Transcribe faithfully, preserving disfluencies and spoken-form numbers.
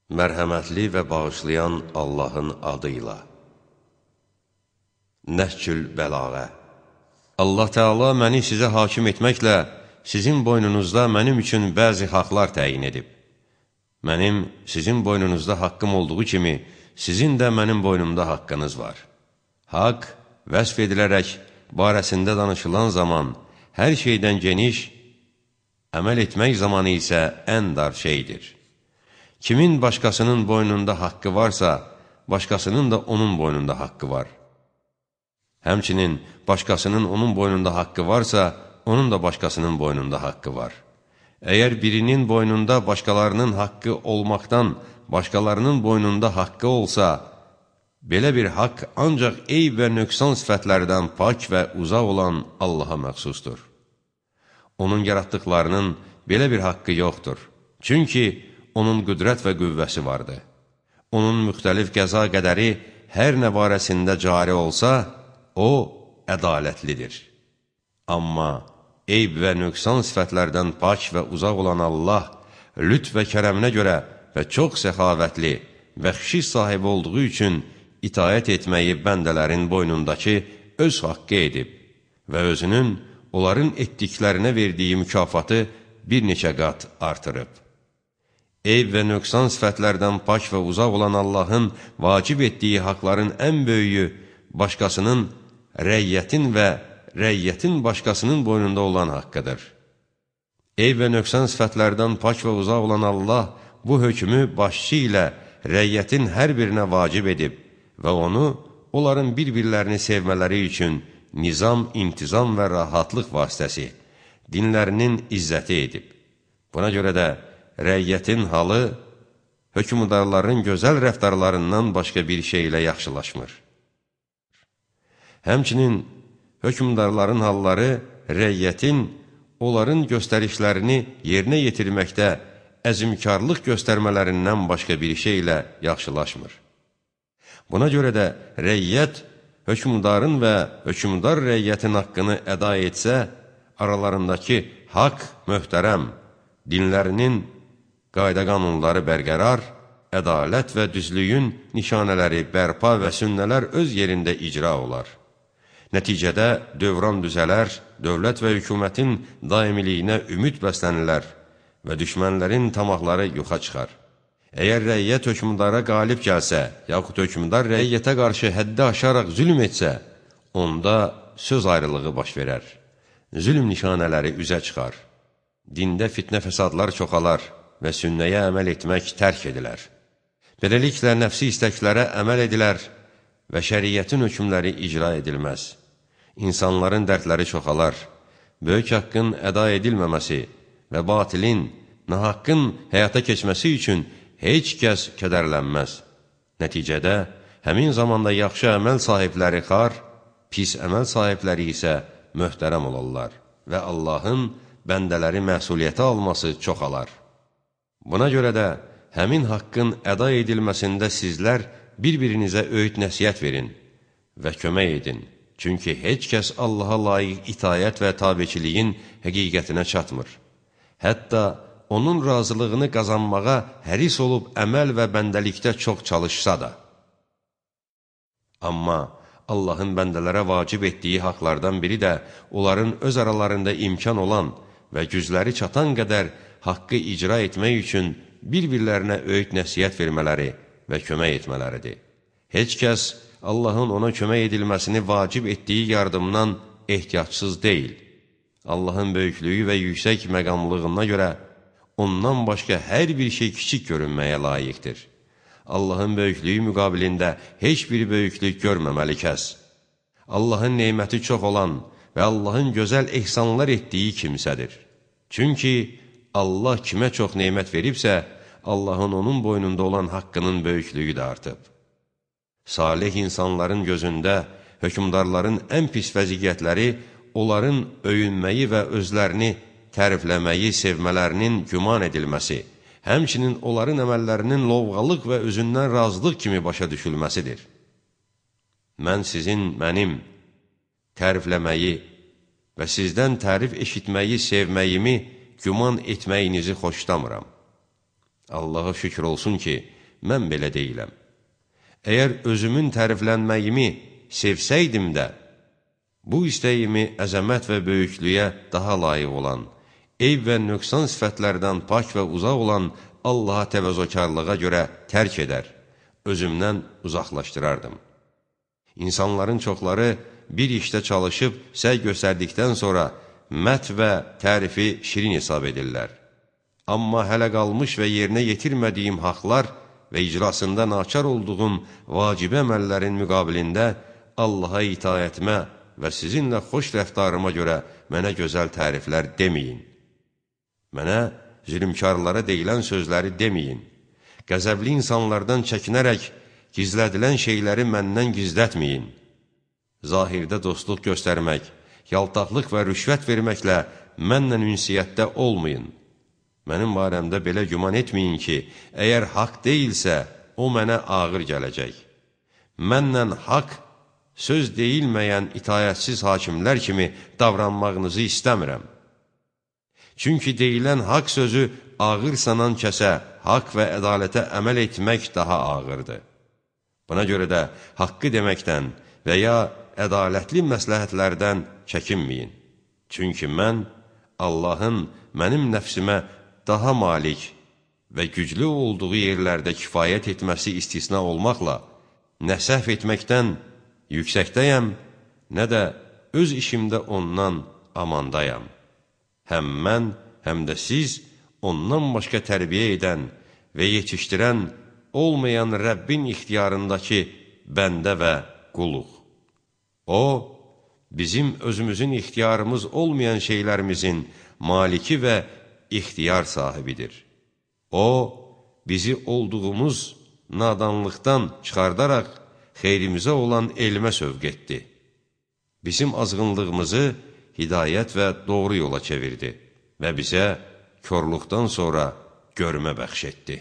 Mərhəmətli və bağışlayan Allahın adıyla. Nəhcül Bəlağə. Allah Teala məni sizə hakim etməklə sizin boynunuzda mənim üçün bəzi haqlar təyin edib. Mənim sizin boynunuzda haqqım olduğu kimi, sizin də mənim boynumda haqqınız var. Haqq vəsf edilərək barəsində danışılan zaman hər şeydən geniş, əməl etmək zamanı isə ən dar şeydir. Kimin başqasının boynunda haqqı varsa, başqasının da onun boynunda haqqı var. Həmçinin başqasının onun boynunda haqqı varsa, onun da başqasının boynunda haqqı var. Əgər birinin boynunda başqalarının haqqı olmaqdan, başqalarının boynunda haqqı olsa, belə bir haqq ancaq eyb və nöqsan sifətlərdən pak və uzaq olan Allaha məxsusdur. Onun yaratdıqlarının belə bir haqqı yoxdur. Çünki onun qüdrət və qüvvəsi vardır. Onun müxtəlif qəza qədəri hər nə barəsində cari olsa, o, ədalətlidir. Amma eyb və nöqsan sifətlərdən pak və uzaq olan Allah, lütf və kərəminə görə və çox səxavətli və xişiş sahibi olduğu üçün itaət etməyi bəndələrin boynundakı öz haqqı edib və özünün onların etdiklərinə verdiyi mükafatı bir neçə qat artırıb. Eyb və nöqsan sifətlərdən pak və uzaq olan Allahın vacib etdiyi haqların ən böyüyü başqasının, rəyyətin və rəyyətin başqasının boynunda olan haqqıdır. Eyb və nöqsan sifətlərdən pak və uzaq olan Allah bu hökmü başçı ilə rəyyətin hər birinə vacib edib və onu onların bir-birlərini sevmələri üçün nizam, intizam və rahatlıq vasitəsi, dinlərinin izzəti edib. Buna görə də rəyyətin halı hökmdarların gözəl rəftarlarından başqa bir şey ilə yaxşılaşmır. Həmçinin hökmdarların halları rəyyətin onların göstərişlərini yerinə yetirməkdə əzmkarlıq göstərmələrindən başqa bir şey ilə yaxşılaşmır. Buna görə də rəyyət hökmdarın və hökmdar rəyyətin haqqını əda etsə, aralarındakı haqq möhtərəm, dinlərinin qayda-qanunları bərqərar, ədalət və düzlüyün nişanələri bərpa və sünnələr öz yerində icra olar. Nəticədə dövran düzələr, dövlət və hökumətin daimiliyinə ümid bəslənilər və düşmənlərin tamaqları yoxa çıxar. Əgər rəyyət hökmdara qalib gəlsə, yaxud hökmdar rəyyətə qarşı həddi aşaraq zülm etsə, onda söz ayrılığı baş verər. Zülm nişanələri üzə çıxar. Dində fitnə fəsadlar çoxalar və sünnəyə əməl etmək tərk edilər. Beləliklə, nəfsi istəklərə əməl edilər və şəriyyətin hökmləri icra edilməz. İnsanların dərdləri çoxalar, böyük haqqın əda edilməməsi və batilin, nahaqqın həyata keçməsi üçün heç kəs kədərlənməz. Nəticədə, həmin zamanda yaxşı əməl sahibləri xar, pis əməl sahibləri isə möhtərəm olarlar və Allahın bəndələri məsuliyyətə alması çoxalar. Buna görə də həmin haqqın əda edilməsində sizlər bir-birinizə öyüd nəsiyyət verin və kömək edin. Çünki heç kəs Allaha layiq itayət və tabeçiliyin həqiqətinə çatmır. Hətta onun razılığını qazanmağa həris olub əməl və bəndəlikdə çox çalışsa da. Amma Allahın bəndələrə vacib etdiyi haqlardan biri də onların öz aralarında imkan olan və gücləri çatan qədər haqqı icra etmək üçün bir-birlərinə öyüd nəsiyyət vermələri və kömək etmələridir. Heç kəs Allahın ona kömək edilməsini vacib etdiyi yardımdan ehtiyacsız deyil. Allahın böyüklüyü və yüksək məqamlığına görə ondan başqa hər bir şey kiçik görünməyə layiqdir. Allahın böyüklüyü müqabilində heç bir böyüklük görməməli kəs. Allahın neyməti çox olan və Allahın gözəl ehsanlar etdiyi kimsədir. Çünki Allah kimə çox neymət veribsə, Allahın onun boynunda olan haqqının böyüklüyü də artıb. Salih insanların gözündə hökmdarların ən pis vəziyyətləri onların öyünməyi və özlərini tərifləməyi, sevmələrinin güman edilməsi, həmçinin onların əməllərinin lovğalıq və özündən razılıq kimi başa düşülməsidir. Mən sizin, mənim tərifləməyi və sizdən tərif eşitməyi, sevməyimi güman etməyinizi xoşlamıram. Allaha şükür olsun ki, mən belə deyiləm. Əgər özümün təriflənməyimi sevsəydim də, bu istəyimi əzəmət və böyüklüyə daha layiq olan, eyb və nöqsan sifətlərdən pak və uzaq olan Allaha təvəzzökarlığa görə tərk edər, özümdən uzaqlaşdırardım. İnsanların çoxları bir işdə çalışıb səy göstərdikdən sonra mət və tərifi şirin hesab edirlər. Amma hələ qalmış və yerinə yetirmədiyim haqlar və icrasında naçar olduğum vacibə əməllərin müqabilində Allaha itayətmə və sizinlə xoş rəftarıma görə mənə gözəl təriflər deməyin. Mənə zülümkarlara deyilən sözləri deməyin. Qəzəbli insanlardan çəkinərək gizlədilən şeyləri məndən gizlətməyin. Zahirdə dostluq göstərmək, yaltaqlıq və rüşvət verməklə mənlə ünsiyyətdə olmayın. Mənim barəmdə belə güman etməyin ki, əgər haqq deyilsə, o mənə ağır gələcək. Mənlə haqq, söz deyilməyən itayətsiz hakimlər kimi davranmağınızı istəmirəm. Çünki deyilən haqq sözü ağır sanan kəsə haqq və ədalətə əməl etmək daha ağırdır. Buna görə də haqqı deməkdən və ya ədalətli məsləhətlərdən çəkinməyin. Çünki mən Allahın mənim nəfsimə daha malik və güclü olduğu yerlərdə kifayət etməsi istisna olmaqla, nə səhv etməkdən yüksəkdəyəm, nə də öz işimdə ondan amandayam. Həm mən, həm də siz ondan başqa tərbiyə edən və yetişdirən olmayan Rəbbin ixtiyarındakı bəndə və quluq. O, bizim özümüzün ixtiyarımız olmayan şeylərimizin maliki və ixtiyar sahibidir. O, bizi olduğumuz nadanlıqdan çıxardaraq xeyrimizə olan elmə sövq etdi. Bizim azğınlığımızı hidayət və doğru yola çevirdi və bizə körluqdan sonra görmə bəxş etdi.